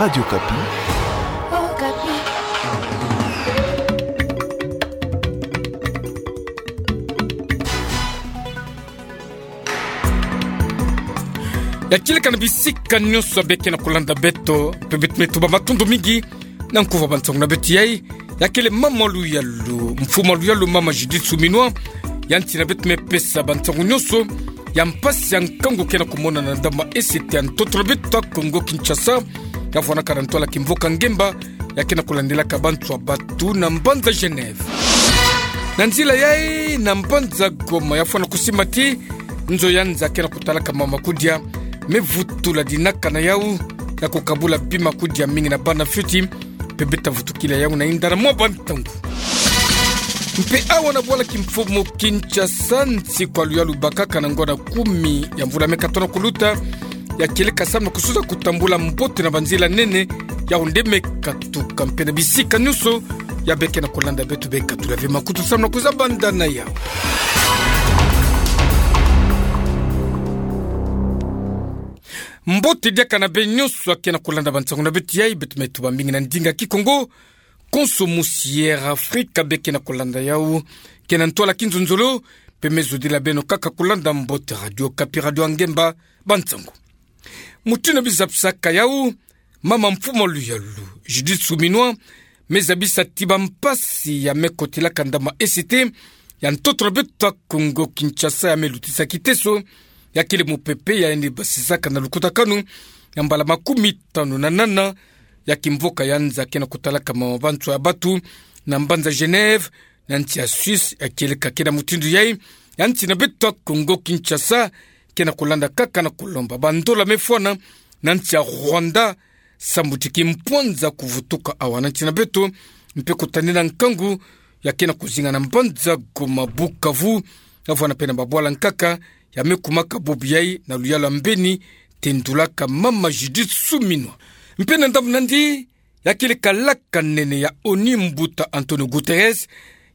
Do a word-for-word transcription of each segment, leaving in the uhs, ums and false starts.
Radio Okapi. Ya kieleka na bisika nyonso ya beke na kolanda beto, mpe beto me tuba matondo mingi na nkuva bansango na beto yai. Ya kele mama luyalu, mfumu luyalu, mama Judith Suminwa, ya nsi na beto me pesa bansango nyonso ya mpasi ya nkangu ke na komona na ndambu ma E C T ya ntoto na beto ya Kongo Kinshasa, ya fwanaka na ntwala kimvoka ngemba, ya ke na kolandelaka banswa batu na mbanza Genève. Na nzila yai na mbanza Goma, ya fwana kusimba ti nzo ya nza ke na kotalaka mama kudia me vutula dinaka na yau, ya kokabula bima kudia mingi na bana fioti, mpe beta vutukila yau na inda na mwa bantangu. Mpe awa na bwala kimfumu Kinshasa, nsi kwa luyalu bakaka na ngwa na kumi ya mvula me katono kuluta, ya kieleka samu na kusuza kutambula mbote na banzila nene, yau nde me katuka mpe na bisika nyonso ya beke na kolanda beto be katula ve makutu samu na kuza banda na yau. Mbote diaka na beno nyonso ya ke na kolanda bansango na beto yai, beto me tuba mingi na ndinga Kikongo. Konso musi Air Africa be ke na kolanda yau, ke na ntwala kinzonzolo, mpe me zodila beno kaka kolanda mbote Radio Okapi, radio ya ngemba, bansango. Mutindu bizapisaka yau, mama mfumu luyalu, Judith Suminwa, me zabisa ti bampasi ya me kotelaka ndambu ma E C T ya ntoto na beto ya Kongo Kinshasa ya me lutisa kiteso, ya kele mupepe ya yandi basisaka na lukutakanu ya mbala makumi tanu na nana ya kimvoka ya nza ke na kotalaka mama banswa ya batu na mbanza Genève, na nsi ya Suisse. Ya kieleka ke na mutindu yai, ya nsi na beto ya Kongo Kinshasa ke na kolanda kaka na kolomba bandola me fwana na nsi ya Rwanda, samu ti kimpwanza kuvutuka awa na nsi na beto, mpe kutadila nkangu ya ke na kuzinga na mbanza Goma, Bukavu, ya fwana mpe na babwala nkaka ya me kumaka bubu yai na luyalu ya mbeni tendulaka mama Judith Suminwa. Mpe na ndambu nandi, ya kele kalaka nene ya ONU, mbuta Antonio Guterres,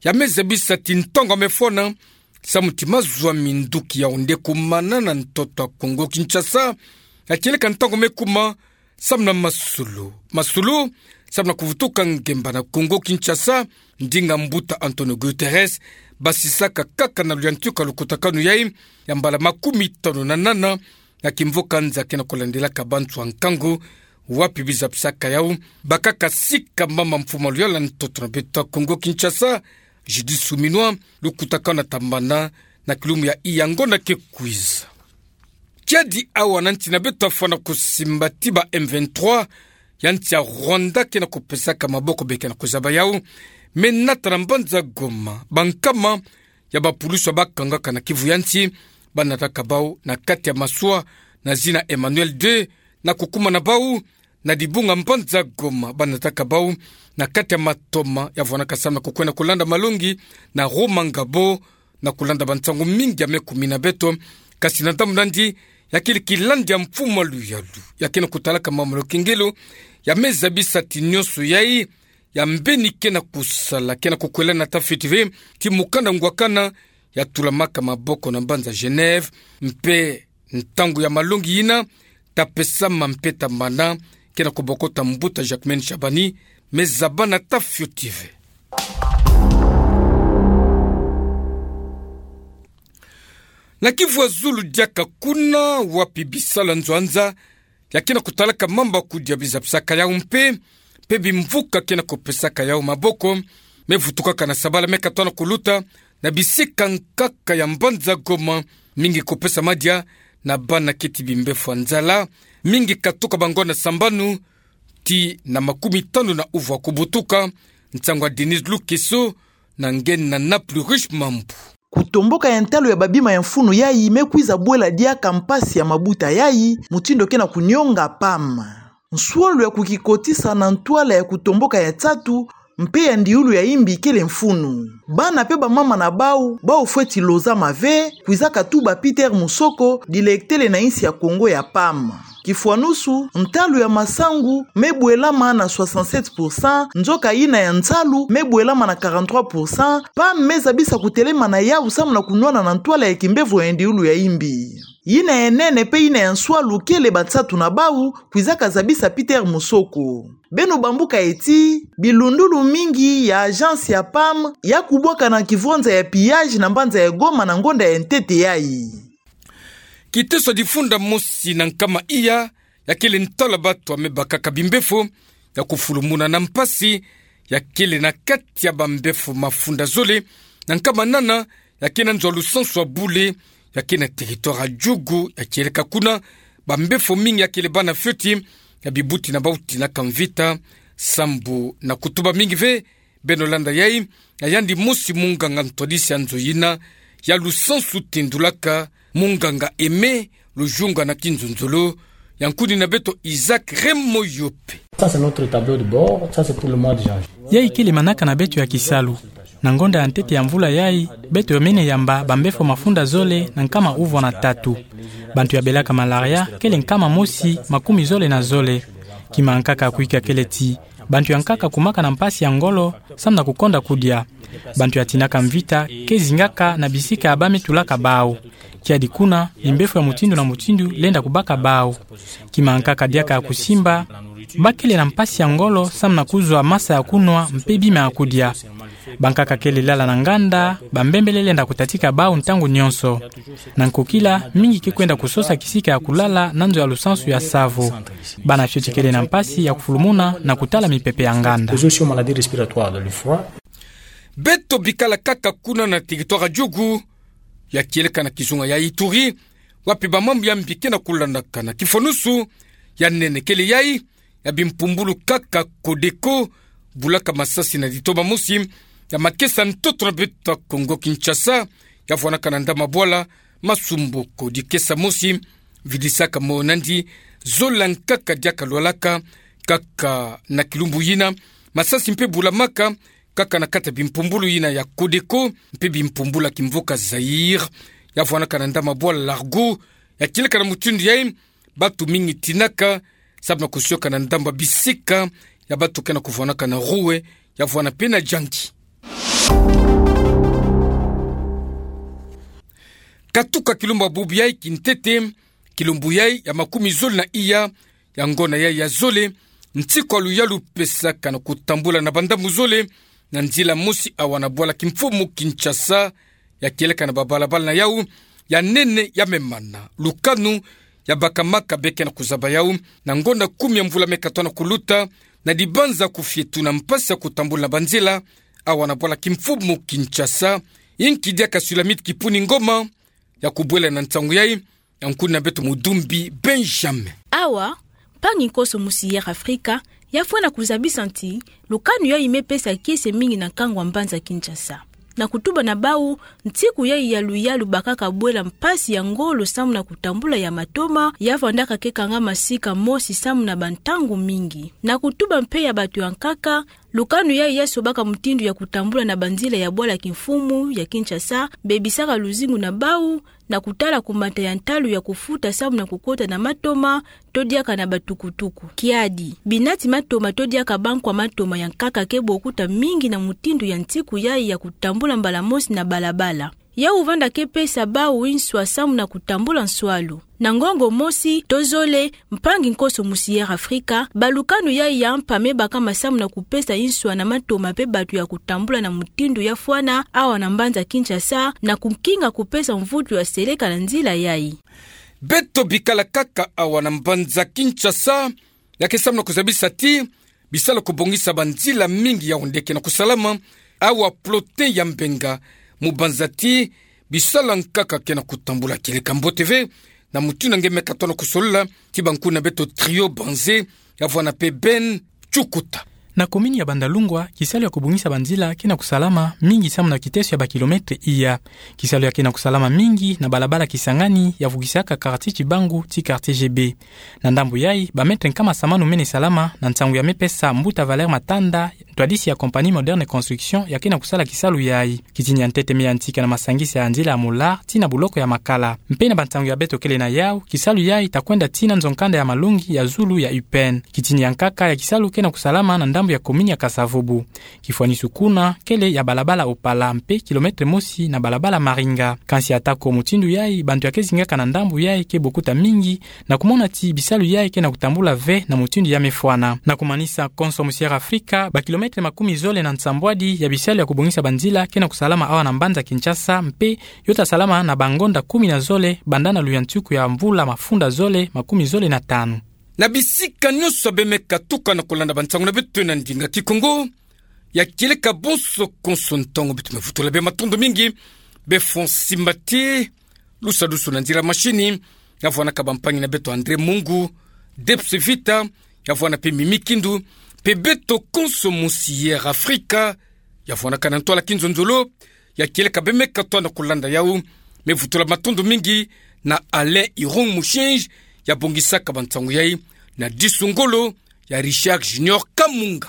ya me zabisa ti ntangu ya me fwana samu ti mazoa minduki yau nde kumana na ntoto ya Kongo Kinshasa. Ya kieleka ntangu me kuma samu na masolo, masolo samu na kuvutuka ngemba na Kongo Kinshasa, ndinga mbuta Antonio Guterres basisaka kaka na luyantika lukutakanu yai ya mbala makumi tanu na nana ya kimvoka nza ke na kolandelaka banswa nkangu. Wapi bizapisaka yau? Bakaka sika mama mfumu luyalu ya ntoto na beto ya Kongo Kinshasa, Judith Suminwa, lukutakanu na tambana na kilumbu ya iyango na ke kwiza. Kiadi awa na nsi na beto ya fwana kusimba ti ba M vingt-trois ya nsi ya Rwanda ke na kupesaka maboko, be ke na kuzaba yau, me nata na mbanza Goma bankama ya bapulusu ya bakangaka na kivu ya nsi, banataka bau na kati ya maswa na zina Emmanuel deux, na kukuma na bau na dibunga mbanza Goma, banataka bau na kati ya matoma ya fwanaka samu na kukwenda kulanda malongi na Rumangabo, na kulanda bansangu mingi ya me kumina beto. Kasi na ndambu nandi, ya kele kilandi ya mfumu luyalu ya ke na kutalaka mama Lokengelo, ya me zabisa ti nyonso yai ya mbeni ke na kusala ke na kukwela na ta fioti ve, ti mukanda ngwakana ya tulamaka maboko na mbanza Genève, mpe ntangu ya malongi yina ta pesama mpe ta mana ke na kubokota mbuta Jacquemain Shabani, me zaba na ta fioti ve. Na kivu ya zulu diaka kuna, wapi bisalu ya nzo ya nza ya ke na kutalaka mamba kudia bizapisaka yau mpe, mpe bimvuka ke na kupesaka yau maboko, me vutukaka na sabala me katona kuluta na bisika nkaka ya mbanza Goma, mingi kupesa madia na bana keti bimbefu ya nzala, mingi katuka bango na sambanu ti na makumi tanu na uvwa kubutuka. Nsangu ya Denise Lukeso na nge na Plus Riche Mambu. Kutomboka ya ntalu ya babima ya mfunu yai me kwiza bwela diaka mpasi ya mabuta yai, mutindu ke na kunionga P A M. Nswolo ya kukikotisa na ntwala ya kutomboka ya nsatu mpe ya ndiulu ya imbi kele mfunu. Bana mpe bamama na bau, bau fweti lozama ve, kwizaka tuba Peter Musoko, dilektele na insi ya Kongo ya P A M. Kifwanusu, ntalu ya masangu me bwelama na soixante-sept pour cent, nzoka yina ya nsalu me bwelama na quarante-trois pour cent, P A M me zabisa kutelema na yau samu na kunwana na ntwala ya kimbevo ya ndiulu ya imbi. yina ya nene pe yina ya nswalu kele bansatu na bau, kwizaka zabisa Peter Musoko. Beno bambuka eti, bilundulu mingi ya agence ya PAM ya kubwakana kivwanza ya pillage na mbanza ya Goma na ngonda ya ntete yayi. Kiteso ya difunda mosi na nkama iya, ya kele ntwala batu ya me bakaka bimbefo, ya kufulumuna na mpasi, ya kele na kati ya bambefo mafunda zole na nkama nana, ya ke na nzo ya lusansu ya bule, ya ke na territoire ya Djugu, ya kieleka kuna bambefo mingi ya kele bana fioti, ya bibuti na bau tinaka mvita, sambu na kutuba mingi ve. Beno landa yayi, ya yandi mosi munganga ntwadisi ya nzo yina ya lusansu tindulaka, munganga Aimé Lujunga na Kinzonzolo, ya nkunina beto Isaac Remo Yope. Ça, c'est notre tableau de bord. Ça, c'est pour le mois de janvier. Yayi kele manaka na beto ya kisalu. Na ngonda ya ntete ya mvula yayi, beto yomene yamba bambefo mafunda zole na nkama uvwa na tatu. Bantu ya belaka malaria kele nkama mosi makumi zole na zole. Kima ya nkaka ya kuika kele ti bantu ya nkaka kumaka na mpasi ya ngolo, samu na kukonda kudia. Bantu ya tinaka mvita ke zingaka na bisika ya ba me tulaka bau. Kiadi kuna, bimbefo ya mutindu na mutindu lenda kubaka bau. Kima ya nkaka diaka ya kusimba, ba kele na mpasi ya ngolo samu na kuzwa masa ya kunwa mpe bima ya kudia. Bankaka kele lala na nganda, bambembele lenda kutatika bau ntangu nyonso. Na nkokila, mingi ke kwenda kusosa kisika ya kulala na nzo ya lusansu ya Savo. Bana fioti kele na mpasi ya kufulumuna na kutala mipepe ya nganda. Les eaux sur maladie respiratoire, le froid. Beto bikala kaka kuna na territoire ya Djugu, ya kieleka na kizunga ya Ituri, wapi bamambu ya mbi ke na kulandakana. Kifonusu ya nene kele yayi ya bimpumbulu kaka Codeco, bulaka masasi na ditoma mosi ya makesa ntoto na beto ya Kongo Kinshasa, ya vwanaka na Ndamabwala, Masumboko. Dikesa mosi vidisaka mo nandi zola nkaka diaka lwalaka, kaka na kilumbu yina masasi mpe bulamaka kaka na kati ya bimpumbulu yina ya Codeco mpe bimpumbulu ya kimvuka Zaïre, ya vwanaka na Ndamabwala Largo. Ya kieleka na mutindu yayi, batu mingi tinaka samu na kusioka na ndambu ya bisika ya batu ke na kuvwanaka na Roue, ya vwana mpe na Djangui. Katuka kilumbu ya bubu yayi kintete, kilumbu yayi ya makumi zole na iya ya ngonda yayi ya zole, nsiku ya luyalu pesaka na kutambula na bandambu zole na nzila mosi awa na bwala kimfumu Kinshasa, ya kieleka na babalabala na yau ya nene ya me mana. Lukanu ya bakamaka be ke na kuzaba yau na ngonda kumi ya mvula me katwa na kuluta, na dibanza kufietu na mpasi ya kutambula na banzila awa na bwala kimfumu Kinshasa. Inki diaka Sulamite Kipuni Ngoma ya kubwela na nsangu yayi, ya nkunina beto Mudumbi Benjamin. Awa, mpangi nkoso musi Air Africa ya fwana kuzabisa ti lukanu yayi me pesa kiese mingi na nkangu ya mbanza Kinshasa. Na kutuba na bau, nsiku yayi ya luyalu bakaka bwela mpasi ya ngolo samu na kutambula ya matoma, ya vwandaka ke kangama sika mosi samu na bantangu mingi. Na kutuba mpe ya batu ya nkaka, lukanu yayi ya sobaka mutindu ya kutambula na banzila ya bwala kimfumu ya Kinshasa, bebisaka luzingu na bau, na kutala kumata ya ntalu ya kufuta samu na kukota na matoma, to diaka na batukutuku. Kiadi, binati matoma to diaka bankwa matoma ya nkaka ke bokuta mingi na mutindu ya nsiku yayi ya kutambula mbala mosi na balabala. Yau vanda ke pesa bau nswa samu na kutambula nswalu. Na ngongo mosi to zole, mpangi nkoso musi Air Africa, balukanu yayi ya mpa me bakama samu na kupesa nswa na matoma mpe batu ya kutambula na mutindu ya fwana awa na mbanza Kinshasa, na kukinga kupesa mvutu ya seleka na nzila yayi. Beto bikala kaka awa na mbanza Kinshasa, ya ke samu na kuzabisa ti bisalu ya kubongisa banzila mingi ya onde ke na kusalama, awa plotin ya mbenga, mu banza ti bisalu ya nkaka ke na kutambula. Kieleka mbote ve na mutindu nge me katwa na kusolola ti bankunina beto Trio Banze, ya vwana mpe Ben Chukuta. Na commune ya Bandalungwa, kisalu ya kubongisa banzila ke na kusalama mingi samu na kiteso ya bakilometre iya. Kisalu ya ke na kusalama mingi na balabala Kisangani ya vugisaka quartier Chibangu ti quartier G B. Na ndambu yayi, bametre nkama samanu mene salama, na nsangu ya me pesa mbuta Valère Matanda, ntwadisi ya compagnie Moderne Construction, ya ke na kusala kisalu yayi. Kitini ya ntete me yantika na masangisa ya nzila ya Moulart tii na buloko ya Makala. Mpe na bansangu ya beto kele na yau, kisalu yayi ta kwenda tii na nzo-nkanda ya Malongi ya zulu ya U P N. Kitini ya nkaka ya kisalu ke na kusalama na ndambu ya commune ya Kasa-Vubu. Kifwanisu kuna kele ya balabala Opala mpe kilomètre mosi na balabala Maringa. Kansi atako mutindu yai, bantu ya ke zingaka na ndambu yai ke bokuta mingi, na kumona ti bisalu yai ke na kutambula ve na mutindu ya mefwana. Na kumanisa, konso mosi ya Air Africa, bakilomètre makumi zole na nsambwadi ya bisalu ya kubongisa banzila ke na kusalama awa na mbanza Kinshasa, mpe yo ta salama na bangonda kumi na zole banda na luyantiku ya mvula mafunda zole makumi zole na tanu. Na bisika nyonso bemeka tuka na kulanda bansangu na beto na ndinga Kikongo, ya kieleka bonso konso ntangu beto me vutula bê matondo mingi. Bê Fonsi Mbati, lusadusu na nzila mashini, ya vwanaka bampangi na beto André Mungu, Debs Vita, ya vwana mpe Mimi Kindu, mpe beto konso mosi ya Air Africa, ya vwanaka na ntwala Kinzonzolo, ya kieleka bemeka twa na kulanda yau. Me vutula matondo mingi na Alain Irung Mushinji, ya bongisaka bansangu yai, na disu ngolo ya Richard Junior Kamunga.